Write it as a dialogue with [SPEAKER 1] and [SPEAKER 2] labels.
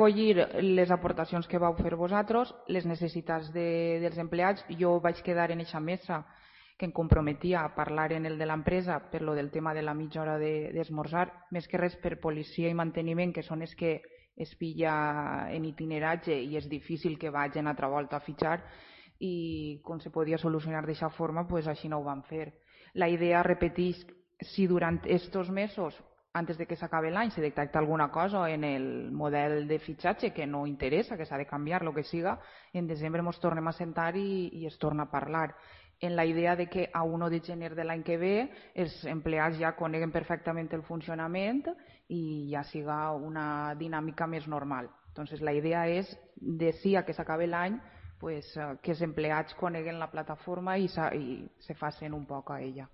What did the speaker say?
[SPEAKER 1] collir les aportacions que vau fer vosaltres, les necessitats dels empleats. Jo vaig quedar en eixa mesa que em comprometia a parlar en el de l'empresa per lo del tema de la mitja hora d'esmorzar, més que res per policia i manteniment, que són els que es pilla en itineratge i és difícil que vagin altra volta a fitxar, i com se podia solucionar d'aquesta forma, pues així no ho van fer. La idea, repeteix, si durant estos mesos, antes de que s'acabi l'any, se detecta alguna cosa en el model de fitxatge que no interessa, que s'ha de canviar, el que siga, en desembre ens tornem a sentar i es torna a parlar. En la idea de que a 1 de gener de l'any que ve els empleats ja coneguen perfectament el funcionament i ja siga una dinàmica més normal. Entonces, la idea és, d'ací a que s'acabi l'any, pues, que els empleats coneguen la plataforma i se facin un poc a ella.